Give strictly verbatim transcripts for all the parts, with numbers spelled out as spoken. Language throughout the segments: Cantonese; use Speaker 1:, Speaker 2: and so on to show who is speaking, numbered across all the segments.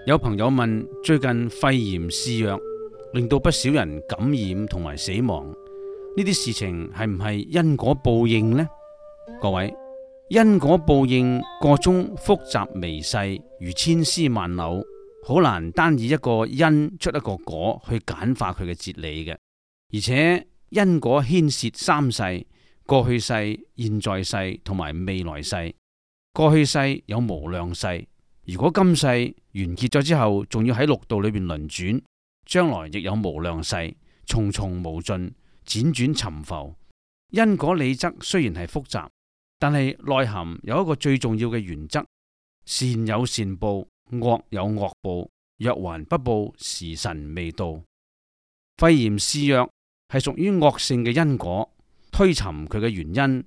Speaker 1: 有朋友問，最近肺炎肆虐，令到不少人感染同埋死亡，呢啲事情係唔係因果報應呢？各位，因果報應個中複雜微細，如千絲萬縷，好難單以一個因出一個果去簡化佢嘅哲理嘅。而且因果牽涉三世：過去世、現在世同埋未來世。過去世有無量世，如果今世完結咗之後，仲要喺六道裏邊輪轉，將來亦有無量世，重重無盡，輾轉沉浮。因果理則雖然係複雜，但係內含有一個最重要嘅原則：善有善報，惡有惡報，若還不報，時辰未到。肺炎肆虐係屬於惡性嘅因果，推尋佢嘅原因，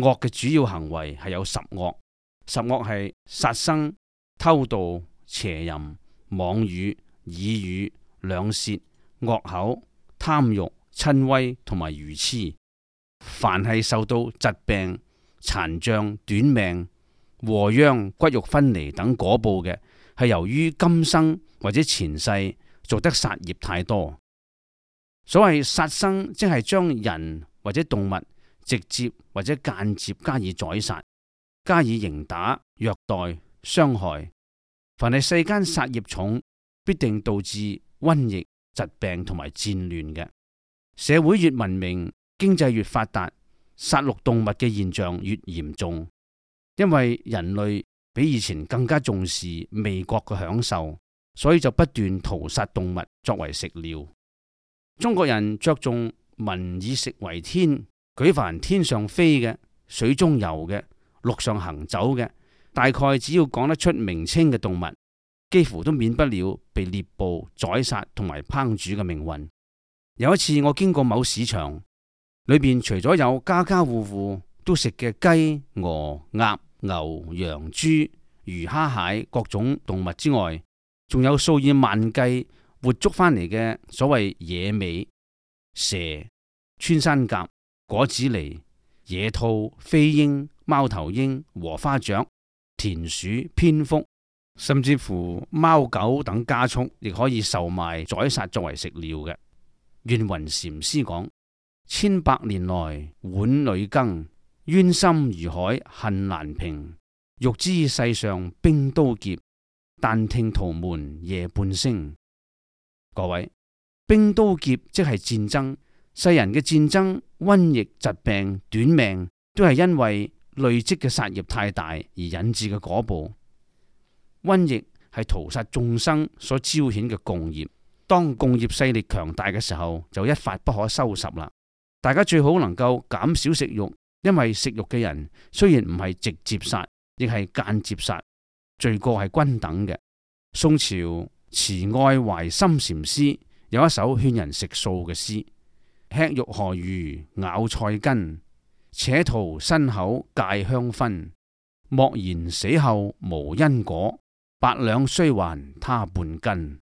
Speaker 1: 惡嘅主要行為係有十惡。十惡係殺生、偷盜、邪淫、妄語、綺語、兩舌、惡口、貪欲、瞋恚同埋愚癡。凡係受到疾病、殘障、短命、禍殃、骨肉分離等果報嘅，係由於今生或者前世做得殺業太多。所謂殺生，即係將人或者動物直接或者間接加以宰殺，加以刑打、虐待、傷害。凡係世間殺業重，必定導致瘟疫、疾病同埋戰亂嘅。社會越文明，經濟越發達，殺戮動物嘅現象越嚴重。因為人類比以前更加重視味覺嘅享受，所以就不斷屠殺動物作為食料。中國人着重民以食為天，舉凡天上飛嘅、水中游嘅、陸上行走嘅，大概只要講得出名稱嘅動物，幾乎都免不了被獵捕、宰殺同埋烹煮嘅命運。有一次我經過某市場，裏邊除咗有家家戶戶都食嘅雞、鵝、鴨、牛、羊、豬、魚、蝦、蟹各種動物之外，仲有數以萬計活捉翻嚟嘅所謂野味、蛇、穿山甲、果子狸、野兔、飛鷹、貓頭鷹、禾花雀、田鼠、蝙蝠，甚至乎貓狗等家畜，亦可以售賣宰殺作為食料嘅。願雲禪師講：千百年來碗裏羹，冤心如海恨難平。欲知世上兵刀劫，但聽屠門夜半聲。各位，兵刀劫即係戰爭，世人嘅戰爭、瘟疫、疾病、短命，都係因為累積嘅殺業太大而引致嘅果報。瘟疫係屠殺眾生所招顯嘅共業，當共業勢力強大嘅時候，就一發不可收拾啦。大家最好能夠減少食肉，因為食肉嘅人雖然唔係直接殺，亦係間接殺，罪過係均等嘅。宋朝慈愛懷心禪師有一首勸人食素嘅詩：吃肉何如咬菜根，且圖身口戒香薰。莫言死後無因果，百兩須還他半斤。